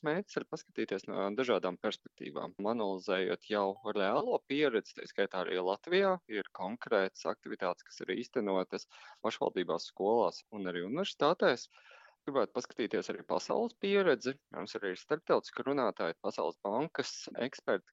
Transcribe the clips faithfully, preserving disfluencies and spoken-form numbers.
Mērķis ir paskatīties no dažādām perspektīvām, analizējot jau reālo pieredzi, tā skaitā arī Latvijā ir konkrētas aktivitātes, kas ir īstenotas pašvaldībās, skolās un arī universitātēs. Gribētu paskatīties arī pasaules pieredzi, mums arī ir starptautiski runātāji, Pasaules bankas eksperti.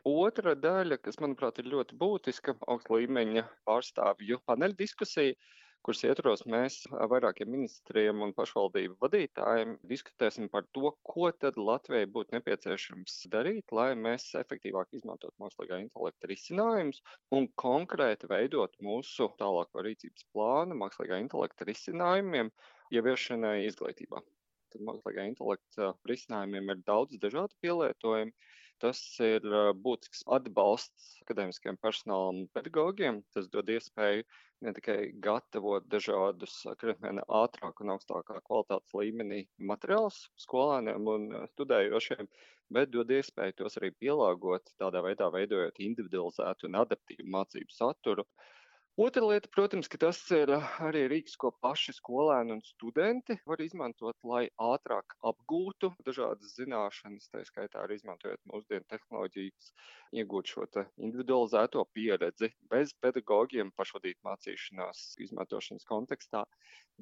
Otra daļa, kas, manuprāt, ir ļoti būtiska, augsta līmeņa pārstāvju paneļa diskusija, kuras ietvaros mēs ar vairākiem ministriem un pašvaldību vadītājiem diskutēsim par to, ko tad Latvijai būtu nepieciešams darīt, lai mēs efektīvāk izmantotu mākslīgā intelekta risinājumus un konkrēti veidot mūsu tālāko rīcības plānu mākslīgā intelekta risinājumiem ieviešanai izglītībā. Tad mākslīgā intelekta risinājumiem ir daudz dažādu pielietojumu. Tas ir uh, būtisks atbalsts akadēmiskajiem personālam un pedagogiem. Tas dod iespēju ne tikai gatavot dažādus krietni ātrāk un augstākā kvalitātes līmenī materiālus skolēniem un uh, studējošiem, bet dod iespēju tos arī pielāgot, tādā veidā veidojot individualizētu un adaptīvu mācību saturu. Otra lieta, protams, ka tas ir arī rīks, ko paši skolēni un studenti var izmantot, lai ātrāk apgūtu dažādas zināšanas, tā skaitā arī izmantojot mūsdienu tehnoloģijas, iegūt šo te individualizēto pieredzi bez pedagogiem pašvadīt mācīšanās izmantošanas kontekstā,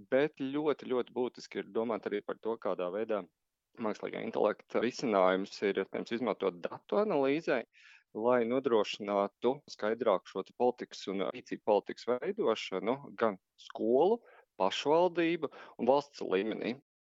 bet ļoti, ļoti būtiski ir domāt arī par to, kādā veidā mākslīgā intelekta risinājums ir, iespējams, izmantot datu analīzē, lai nodrošinātu skaidrāku šo te politikas un rīcību politikas veidošanu gan skolu, pašvaldību un valsts līmenī.